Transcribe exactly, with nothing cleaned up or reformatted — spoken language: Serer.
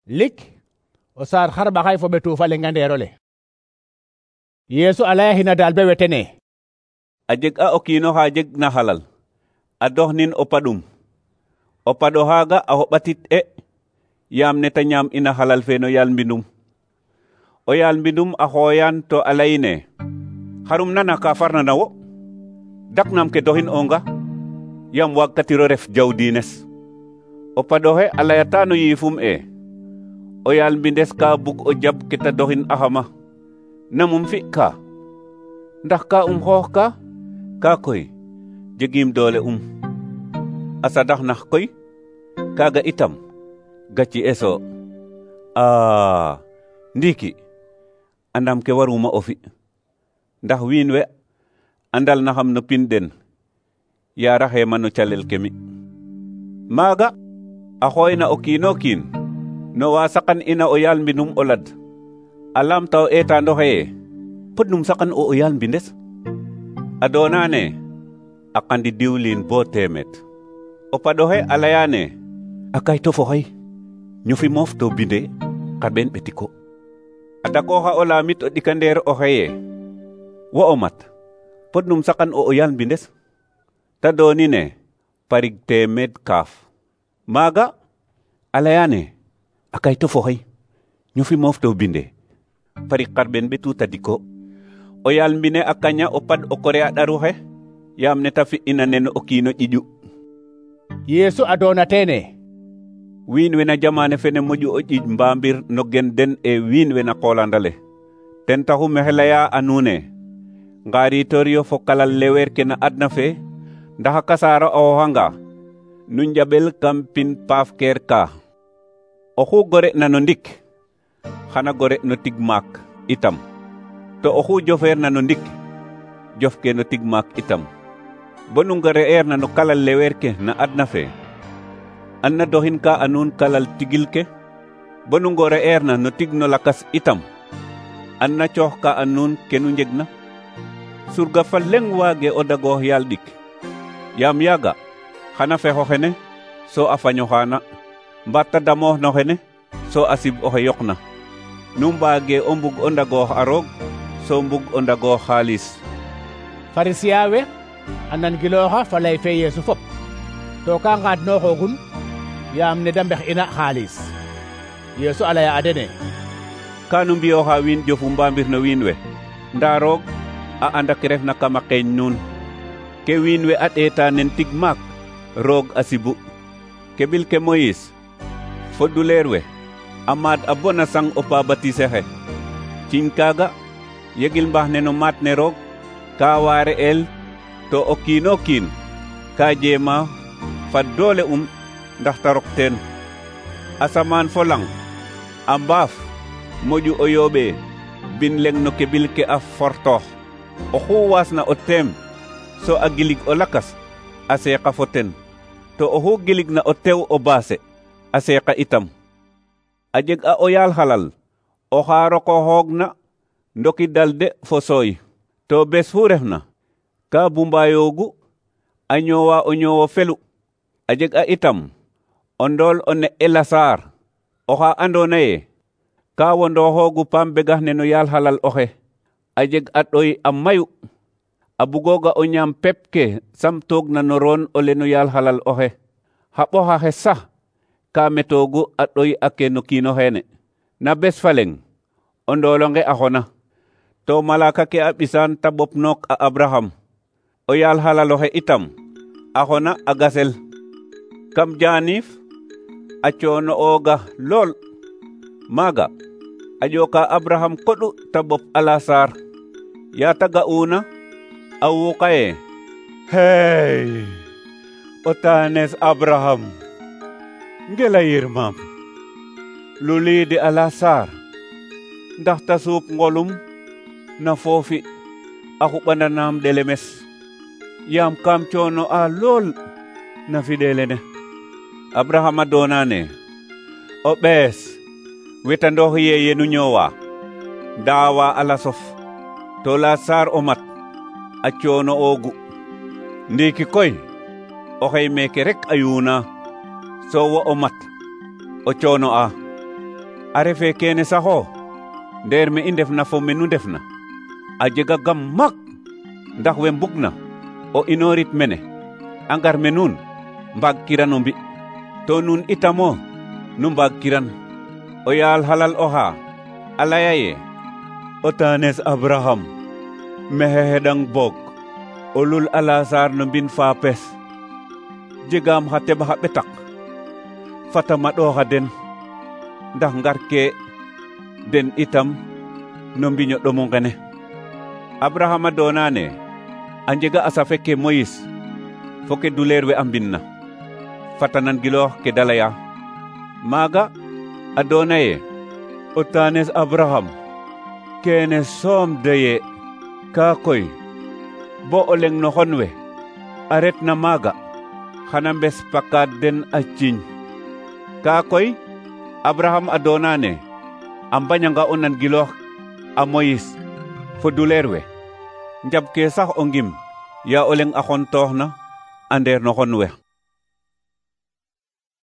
lik o saar xarɓaxay fo ɓetu fa lenga ndeerole. Yeesu a laya xina daal be wetene: a jeg a o kiino xa jeg na xalal a dox nin o paɗum o paɗo xaaga a xoɓatit e yaam ne ta ñaam ina xalal fe no yaal mbindum. o yaal mbindum a xooyan to a layine: xarum nana ka farna na wo? daknam ke doxin onga yaam waagkatiro ref jaw diines. o paɗoxe a layata no yiifum e: o yaal mbindes ka bug o jab ke ta doxin axama. namum fi ka? ndax ka um xoox ka? ka koy jegim doole um. a sadax nax koy kaga itam gaci eso. a ndiki andam ke waruma o fi, ndax wiin we andal naxam no pin den yaaraxe ma no calel ke mi. maaga a xooyna o kiino kiin no wa saqan ina o yaal mbinum o lad a lamta o eetaando xeye: podnum saqan o o yaal mbindes? a doonane a qandi diwlin bo teemet. o paɗoxe a layane: a kayto fo xay ñofi moof to binde xarɓeen ɓetiko. a dakooxa o laamit o ɗikandeer o xeye: wo o mat, podnum saqan o o yaal mbindes? ta doonine parig teemed kaaf. maaga a layane: a kayto fo xay ñofi moof to binde parig xarɓeen ɓetu tadiko. o yaal mbine a kaña o paɗ o kore a ɗaruxe yaam ne ta fi ina nen o kiino ƴiƴu. Yeesu a doona teene: wiin we na jamane fene moƴu o ƴiiƴ mbaambir no gen den e wiin we na qoolandale. ten taxu mexe laya a nuune: ngaaritor yo fo kalal leweer ke na adna fe, ndax a kasaara a xooxanga nu njaɓel kam pin paaf keer ka. oxu gore na no ndik xana gore no tig maak itam, to oxu jofeer na no ndik jof ke no tig maak itam. bonu ngore'eer na no kalal leweer ke na adna fe, an na doxin ka a nuun kalal tigil ke. bonu ngore'eer na no tig no lakas itam, an na coox ka a nuun ke nu njeg na. surga fa leŋ waage o dagoox yaal ɗik, yaam yaaga xana fexo xene so a faño xaana, mbaat ta damoox no xene so a sib oxe yoqna. nu mbaage o mbug o ndagoox a roog so mbug o ndagoox xaalis. Farisiya we a nangilooxa fa lay fe Yeesu fop, to ka ngaadnooxoogun yaam ne da mbex ina xaalis. Yeesu a laya a dene: ka nu mbiyooxa wiin jofu mbaambir no wiin we, ndaa roog a anda ke refna kama qeeñ nuun. ke wiin we a ɗeeta nen tig maak roog a sibu. ke ɓil ke Moyis fo duleer we a maad a bona sang o paabatise xe. ciñ kaaga yegil mbax ne no maat ne roog ka waare el, to o kiino kiin ka jeema fa doole um ndax ta rok teen. asamaan fo lang a mbaaf moƴu o yooɓe bin leŋ no ke ɓil ke a fortoox. oxu waasna o teem so a gilig o lakas a seeqa fo ten, to oxu giligna o tew o baase a seeqa itam. a jeg a o yaal xalal oxa rokoxoogna ndoki dalde fo sooy, to bes fu refna ka bumbayoogu a ñoowa o ñoowo felu. a jeg a itam o ndool o ne'e Lasaar oxa andoona ye ka wondooxoogu paam begax ne no yaal xalal oxe. a jeg a ɗoy a mayu a bugooga o ñaam pep ke samtoogna no roon ole no yaal xalal oxe. xa ɓoxaxe sax ka metoogu a ɗoy ake no kiino xeene. na bes fa leŋ o ndoolonge a xona, to malaaka ke a ɓisaan ta ɓopnook a Abraham. o yaal xalal oxe itam a xona a gasel kam jaaniif a coono ooga lool. maaga a ƴooka Abraham koɗu ta ɓop a Lasaar. yaa ta ga'uuna a wuuqaye: hey o taanes Abraham, ngela yirmaam luliide a Lasaar ndax ta suup ngolum na foofi a xuɓandanaam ɗelemes, yaam kam coono a lool na fiɗeelene. Abraham a doonane: o ɓees wetandoox ye yenu ñoowa ndaawa a lasof, to Lasaar o mat a coono oogu. ndiiki koy oxey meeke rek a yuuna so wo o mat o coono a. a refe kene saxo ndeer me i ndefna fo me nu ndefna a jega gam mak ndax we mbugna o inorit mene a ngar me nuun mbaag kiran o mbi to nuun itamo nu mbaag kiran o yaal halal oxa a laya ye o taanes Abraham mexe xeɗang boog o lul a Lasaar no mbin faapes jegaam xa teɓ xa ɓetak fata maɗooxa den ndax ngar ke den itam no mbiño ɗomu ngene. Abraham a doonane a njega a safe ke Moyis fo ke duleer we a mbinna fata nan giloox ke da laya maaga a doona ye o taanes Abraham kene soom doye kaa koy bo o leng no xon we a retna maaga xana mbes pakaad den a ciiñ kaa koy Abraham a doonane a mbañanga o nan giloox a Moyis fo duleer we njab ke sax o ngim ya o leng a xontoox na a ndeer no xon we.